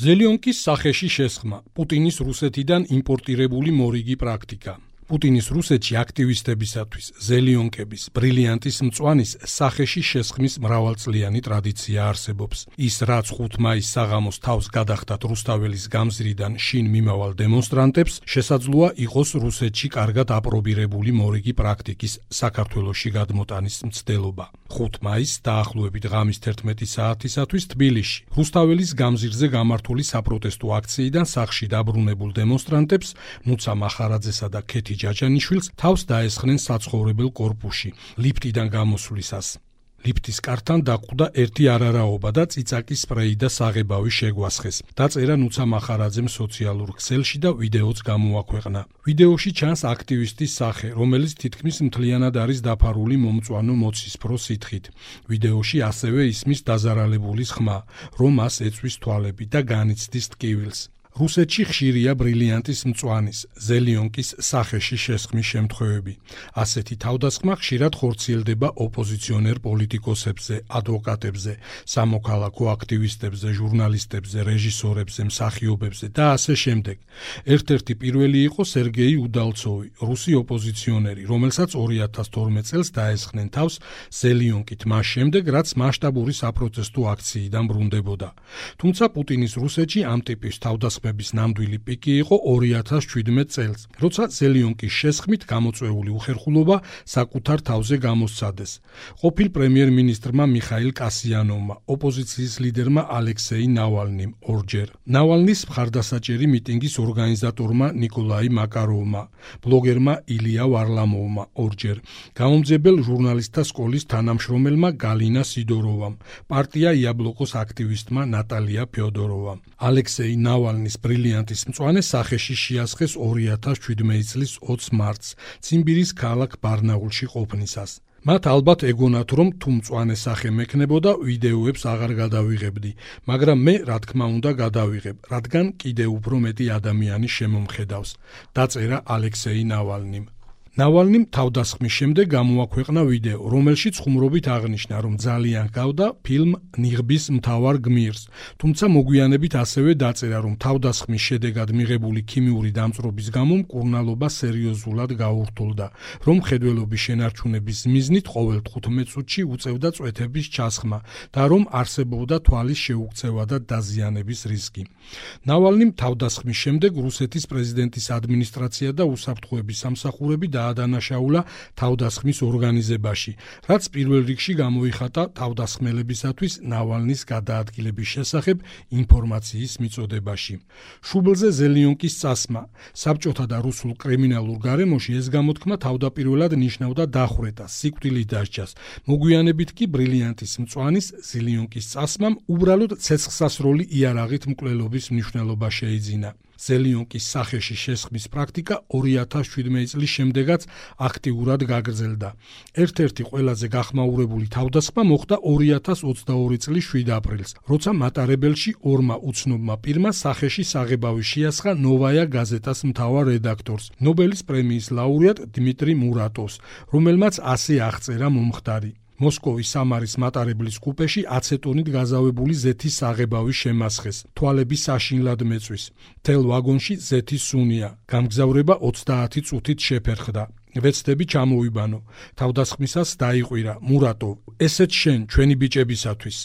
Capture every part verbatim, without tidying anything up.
ზელიონკის სახეში შესხმა, პუტინის რუსეთიდან იმპორტირებული მორიგი პრაქტიკა. პუტინის რუსეთში აქტივისტებისათვის ზელიონკების, ბრილიანტის მწვანის სახეში შესხმის მრავალწლიანი ტრადიცია არსებობს. ის რაც ხუთ მაისს საღამოს თავს გადახდათ რუსთაველის გამზირიდან შინ მიმავალ დემონსტრანტებს, შესაძლოა იყოს რუსეთში კარგად აპრობირებული მორიგი პრაქტიკის საქართველოში გადმოტანის მცდელობა. ხუთ მაისს დაახლოებით ღამის თერთმეტი საათისათვის თბილისში, რუსთაველის გამზირზე გამართული საპროტესტო აქციიდან სახლში დაბრუნებულ დემონსტრანტებს, ნუცა მახარაძესა და ქეთი ჯაჯანიშვილს თავს დაესხნენ საცხოვრებელ კორპუსში, ლიფტიდან გამოსვლისას. ლიფტის კართან დაკვდა ერთი არარაობა და წიწაკის სპრეი და საღებავი შეგვასხეს. დაწერა ნუცა მახარაძემ სოციალურ ქსელში და ვიდეოც გამოაქვეყნა. ვიდეოში ჩანს აქტივისტის სახე, რომელიც თითქმის მთლიანად არის დაფარული მომწვანო მოცისფრო სითხით. ვიდეოში ასევე ისმის დაზარალებულის ხმა, რომ მას ეწვის თვალები და განიცდის ტკივილს. რუსეთში ხშირია ბრილიანტის მწვანის, ზელიონკის სახეში შესხმის შემთხვევები. ასეთი თავდასხმა ხშირად ხორციელდება ოპოზიციონერ პოლიტიკოსებზე, ადვოკატებზე, სამოქალაქო აქტივისტებზე, ჟურნალისტებზე, რეჟისორებზე, მსახიობებზე და ასე შემდეგ. ერთ-ერთი პირველი იყო სერგეი უდალცოვი, რუსი ოპოზიციონერი, რომელსაც ორი ათას თორმეტ წელს დაესხნენ თავს ზელიონკით მას შემდეგ, რაც მასშტაბური საპროტესტო აქციიდან ბრუნდებოდა. თუმცა პუტინის რუსეთში ამ ტიპის თავდასხმა ნამდვილი პიკი იყო ორი ათას ჩვიდმეტ წელს, როცა ზელიონკის შესხმით გამოწვეული უხერხულობა საკუთარ თავზე გამოსცადეს. ყოფილ პრემიერ-მინისტრმა მიხაილ კასიანოვმა, ოპოზიციის ლიდერმა ალექსეი ნავალნიმ ორჯერ, ნავალნის მხარდასაჭერი მიტინგის ორგანიზატორმა ნიკოლაი მაკაროვმა, ბლოგერმა ილია ვარლამოვმა ორჯერ, გამომძებელ ჟურნალისტთა სკოლის თანამშრომელმა გალინა სიდოროვამ, პარტია იაბლოკოს აქტივისტმა ნატალია ფიოდოროვამ. ალექსეი ნავალნის ბრილიანტის მწვანე სახეში შეასხეს ორი ათას შვიდმეტი წლის ოცს მარტს, ციმბირის ქალაქ ბარნაულში ყოფნისას. მათ ალბათ ეგონათ, რომ თუ მწვანე სახე მექნებოდა, ვიდეოებს აღარ გადავიღებდი, მაგრამ მე, რა თქმა უნდა, გადავიღებ, რადგან კიდევ უფრო მეტი ადამიანი შემომხედავს, დაწერა ალექსეი ნავალნიმ. ნავალნიმ თავდასხმის შემდეგ გამოაქვეყნა ვიდეო, რომელშიც ხუმრობით აღნიშნა, რომ ძალიან ჰგავდა ფილმ ნიღბის მთავარ გმირს, თუმცა მოგვიანებით ასევე დაწერა, რომ თავდასხმის შედეგად მიღებული ქიმიური დამწვრობის გამო მკურნალობა სერიოზულად გაურთულდა, რომ მხედველობის შენარჩუნების მიზნით ყოველ თხუთმეტ წუთში უწევდა წვეთების ჩასხმა და რომ არსებობდა თვალის შეუქცევა და დაზიანების რისკი. ნავალნიმ თავდასხმის შემდეგ რუსეთის პრეზიდენტის ადმინისტრაცია და უსაფრთხოების სამსახურები დაადანაშაულა თავდასხმის ორგანიზებაში, რაც პირველ რიგში გამოიხატა თავდასხმელებისათვის ნავალნის გადაადგილების შესახებ ინფორმაციის მიწოდებაში. შუბლზე ზელიონკის წასმა, საბჭოთა და რუსულ კრიმინალურ გარემოში ეს გამოთქმა თავდაპირველად ნიშნავდა დახვრეტას, სიკვდილის დასჯას. მოგვიანებით კი ბრილიანტის მწვანის ზელიონკის წასმამ უბრალოდ ცეცხლსასროლი იარაღით მკვლელობის მნიშვნელობა შეიძინა. ზელიონკის სახეში შესხმის პრაქტიკა ორი ათას შვიდმეტი წლის შემდეგაც აქტიურად გაგრძელდა. ერთ-ერთი ყველაზე გახმაურებული თავდასხმა მოხდა ორი ათას ოცდაორი წლის შვიდ აპრილს, როცა მატარებელში ორმა უცნობმა პირმა სახეში საღებავი შეასხა ნოვაია გაზეტას მთავარ რედაქტორს, ნობელის პრემიის ლაურეატ დიმიტრი მურატოვს, რომელმაც ასე აღწერა მომხდარი. მოსკოვის სამარის მატარებლის კუპეში აცეტონით გაზავებული ზეთის საღებავი შემასხეს, თვალები საშინლად მეწვის. მთელ ვაგონში ზეთის სუნია, გამგზავრება ოცდაათი წუთით შეფერხდა. ვეცდები ჩამოვიბანო, თავდასხმისას დაიყვირა, მურატოვ, ესეც შენ, ჩვენი ბიჭებისათვის.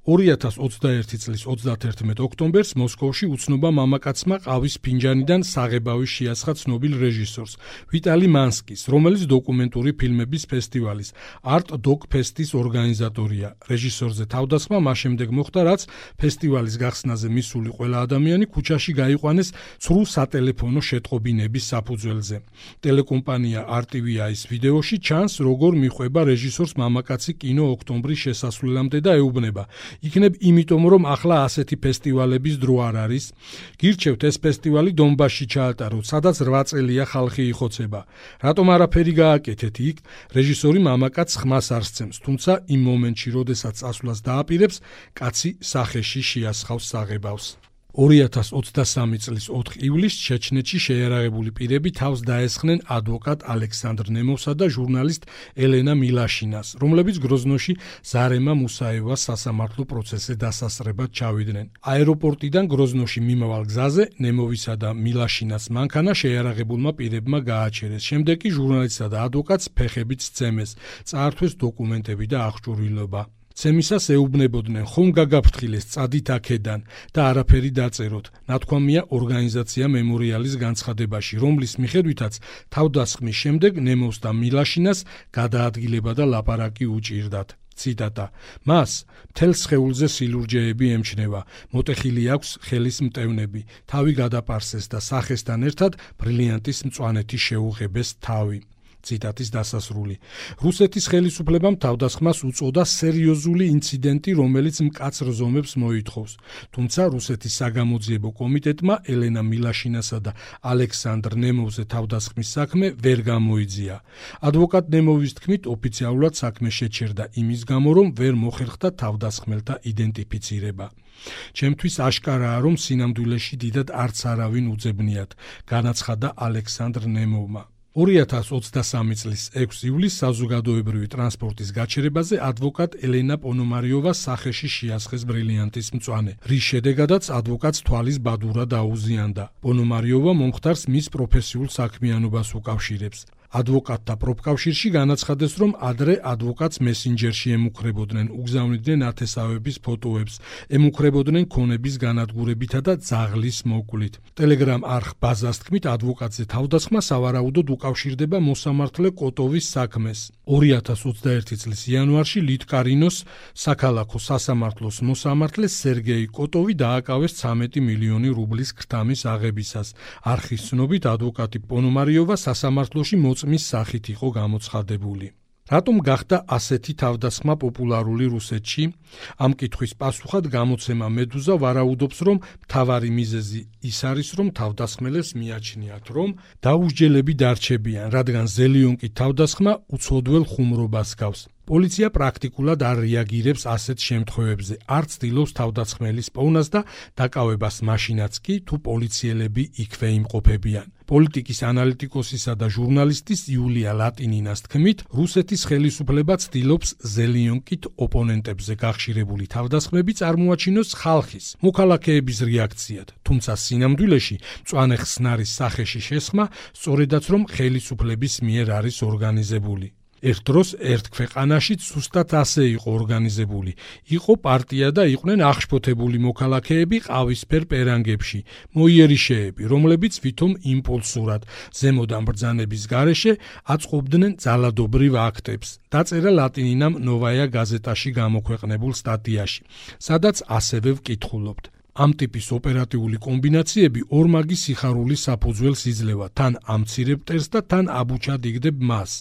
ორი ათას ოცდაერთი წლის ოცდათერთმეტ ოქტომბერს მოსკოვში უცნობმა მამაკაცმა ყავის ფინჯანიდან საღებავი შეასხა ცნობილ რეჟისორს, ვიტალი მანსკის, რომელიც დოკუმენტური ფილმების ფესტივალის Art Doc Fest-ის ორგანიზატორია. რეჟისორზე თავდასხმა მას შემდეგ მოხდა, რაც ფესტივალის გახსნაზე მისული ყველა ადამიანი ქუჩაში გაიყვანეს ცრუ სატელეფონო შეტყობინების საფუძველზე. ტელეკომპანია არ ტი ვი აის ვიდეოში ჩანს, როგორ მიხვება რეჟისორს მამაკაცი კინო ოქტომბრის შესასვლელამდე და ეუბნება: იქნებ იმიტომ, რომ ახლა ასეთი ფესტივალების დრო არ არის. გირჩევთ ეს ფესტივალი დონბასში ჩაატაროთ, სადაც რვა წელია ხალხი იხოცება. რატომ არაფერი გააკეთეთ იქ? რეჟისორი მამაკაცს ხმას არ სცემს, თუმცა იმ მომენტში, როდესაც წასვლას დააპირებს, კაცი სახეში შეასხავს საღებავს. ორი ათას ოცდასამი წლის ოთხ ივლისს ჩეჩნეთში შეიარაღებული პირები თავს დაესხნენ ადვოკატ ალექსანდრ ნემოვსა და ჟურნალისტ ელენა მილაშინას, რომლებიც გროზნოში ზარემა მუსაევას სასამართლო პროცესზე დასასრებად ჩავიდნენ. აეროპორტიდან გროზნოში მიმავალ გზაზე ნემოვისა და მილაშინას მანქანა შეიარაღებულმა პირებმა გააჩერეს. შემდეგ კი ჟურნალისტსა და ადვოკატს ფეხებით სცემეს, წაართვეს დოკუმენტები და აღჭურვილობა. ცემისას ეუბნებოდნენ, ხომ გაგაფრთხილეს, წადით აქედან და არაფერი დაწეროთ. ნათქვამია ორგანიზაცია მემორიალის განცხადებაში, რომლის მიხედვითაც თავდასხმის შემდეგ ნემოვს და მილაშინას გადაადგილება და ლაპარაკი უჭირდათ. ციტატა: მას მთელ სხეულზე სილურჯეები ემჩნევა, მოტეხილი აქვს ხელის მტევნები, თავი გადაპარსეს და სახესთან ერთად ბრილიანტის მწვანეთი შეუღებეს თავი. ციტატის დასასრული. რუსეთის ხელისუფლებამ თავდასხმას უწოდა სერიოზული ინციდენტი, რომელიც მკაცრ ზომებს მოითხოვს. თუმცა რუსეთის საგამოძიებო კომიტეტმა ელენა მილაშინასა და ალექსანდრ ნემოვზე თავდასხმის საქმე ვერ გამოიძია. ადვოკატ ნემოვის თქმით, ოფიციალურად საქმე შეჩერდა იმის გამო, რომ ვერ მოხერხდა თავდასხმელთა იდენტიფიცირება. ჩემთვის აშკარაა, რომ სინამდვილეში დიდად არც არავინ უძებნიათ, განაცხადა ალექსანდრ ნემოვმა. ორი ათას ოცდასამი წლის ექვს ივლისს საზოგადოებრივი ტრანსპორტის გაჩერებაზე ადვოკატ ელენა პონომარიოვას სახეში შეასხეს ბრილიანტის მწვანე, რის შედეგადაც ადვოკატს თვალის ბადურა დაუზიანდა. პონომარიოვა მომხდარს მის პროფესიულ საქმიანობას უკავშირებს. ადვოკატთა პროფკავშირში განაცხადეს, რომ ადრე ადვოკატს მესენჯერში ემუქრებოდნენ, უგზავნიდნენ ათესავების ფოტოებს, ემუქრებოდნენ ქონების განადგურებითა და ძაღლის მოკვლით. ტელეგრამ არხ ბაზას თქმით, ადვოკატზე თავდასხმა სავარაუდოდ უკავშირდება მოსამართლე კოტოვის საქმეს. ორი ათას ოცდაერთი წლის იანვარში ლიტკარინოს საქალაქო სასამართლოს მოსამართლე სერგეი კოტოვი დააკავეს ცამეტი მილიონი რუბლის ქრთამის აღებისას. არხის ცნობით, ადვოკატი პონომარიოვა სასამართლოში მის სახით იყო გამოცხადებული. რატომ გახდა ასეთი თავდასხმა პოპულარული რუსეთში? ამ კითხვის პასუხად გამოცემა მედუზა ვარაუდობს, რომ მთავარი მიზეზი ის არის, რომ თავდასხმელებს მიაჩნიათ, რომ დაუსჯელები დარჩებიან, რადგან ზელიონკი თავდასხმა უცოდველ ხუმრობას გავს. პოლიცია პრაქტიკულად არ რეაგირებს ასეთ შემთხვევებზე, არც ცდილობს თავდასხმელის პოვნას და დაკავებას მაშინაც კი, თუ პოლიციელები იქვე იმყოფებიან. პოლიტიკის ანალიტიკოსისა და ჟურნალისტის იულია ლატინინას თქმით, რუსეთის ხელისუფლება ცდილობს ზელიონკით ოპონენტებზე გახშირებული თავდასხმები წარმოაჩინოს ხალხის, მოქალაქეების რეაქციად, თუმცა სინამდვილეში მწვანე ხსნარის სახეში შესხმა სწორედაც რომ ხელისუფლების მიერ არის ორგანიზებული. ერთ დროს ერთ ქვეყანაში ზუსტად ასე იყო ორგანიზებული. იყო პარტია და იყვნენ აღშფოთებული მოქალაქეები ყავისფერ პერანგებში, მოიერიშეები, რომლებიც ვითომ იმპულსურად ზემოდან ბრძანების გარეშე აწყობდნენ ძალადობრივ აქტებს. დაწერა ლატინინამ ნოვაია გაზეტაში გამოქვეყნებულ სტატიაში, სადაც ასევე ვკითხულობთ. ამ ტიპის ოპერატიული კომბინაციები ორმაგი სიხარულის საფუძველს იძლევა, თან ამცირებ მტერს და თან აბუჩად იგდებ მას.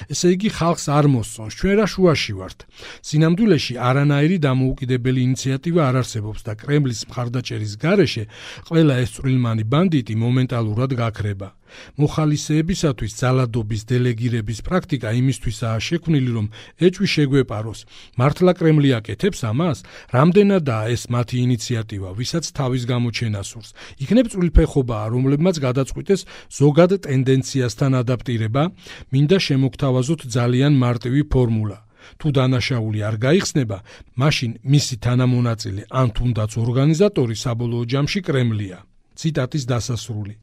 ესე იგი ხალხს არ მოსწონს, ჩვენ რა შუაში ვართ. სინამდვილეში არანაირი დამოუკიდებელი ინიციატივა არ არსებობს და კრემლის მხარდაჭერის გარეშე ყველა ეს წვრილმანი ბანდიტი მომენტალურად გაქრება. მოხალისეებისათვის ძალადობის დელეგირების პრაქტიკა იმისთვისაა შექმნილი, რომ ეჭვი შეგვეპაროს. მართლა კრემლი აკეთებს ამას? რამდენადაა ეს მათი ინიციატივა, ვისაც თავის გამოჩენა სურს? იქნებ წვრილფეხობაა, რომლებმაც გადაწყვიტეს ზოგად ტენდენციასთან ადაპტირება, მინდა შემოგთავაზოთ ძალიან მარტივი ფორმულა. თუ დანაშაული არ გაიხსნება, მაშინ მისი თანამონაწილე ან თუნდაც ორგანიზატორი საბოლოო ჯამში კრემლია. ციტატის დასასრული.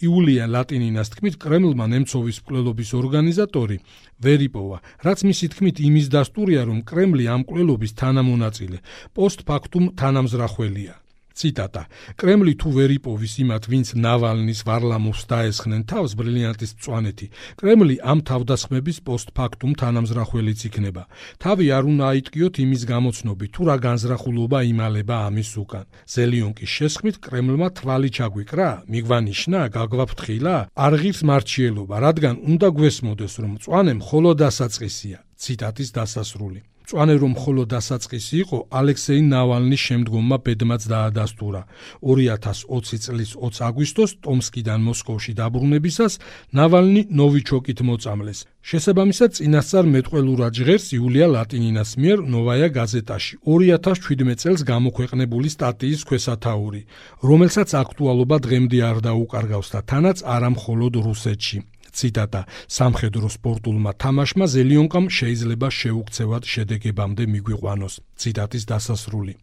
იულია ლატინინას თქმით, კრემლმა ნემცოვის მკვლელობის ორგანიზატორი ვერ იპოვა, რაც მისი თქმით იმის დასტურია, რომ კრემლი ამ მკვლელობის თანამონაწილე პოსტფაქტუმ თანამზრახველია. ციტატა: კრემლი თუ ვერ იპოვის იმათ, ვინც ნავალნის ვარლამოვს დაესხნენ თავს ბრილიანტის მწვანეთი, კრემლი ამ თავდასხმების პოსტფაქტუმ თანამზრახველიც იქნება. თავი არ უნდა აიტკიოთ იმის გამოცნობით, თუ რა განზრახულობა იმალება ამის უკან. ზელიონკის შესხმით კრემლმა თვალი ჩაგვიკრა, მიგვანიშნა, გაგვაფრთხილა, არ ღირს მარჩიელობა, რადგან უნდა გვესმოდეს, რომ მწვანე მხოლოდ დასაწყისია. ციტატის დასასრული. მწვანე რომ მხოლოდ დასაწყისი იყო, ალექსეი ნავალნის შემდგომმა ბედმაც დაადასტურა. ორი ათას ოცი წლის ოცი აგვისტოს ტომსკიდან მოსკოვში დაბრუნებისას ნავალნი ნოვიჩოკით მოწამლეს. შესაბამისად, წინასწარ მეტყველურად ჟღერს იულია ლატინინას მიერ ნოვაია გაზეტაში ორი ათას ჩვიდმეტ წელს გამოქვეყნებული სტატიის ქვესათაური, რომელსაც აქტუალობა დღემდე არ დაუკარგავს და თანაც არა მხოლოდ რუსეთში. ციტატა: სამხედრო სპორტულმა თამაშმა ზელიონკამ შეიძლება შეუქცევად შედეგებამდე მიგვიყვანოს. ციტატის დასასრული.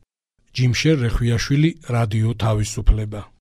ჯიმშერ რეხვიაშვილი, რადიო თავისუფლება.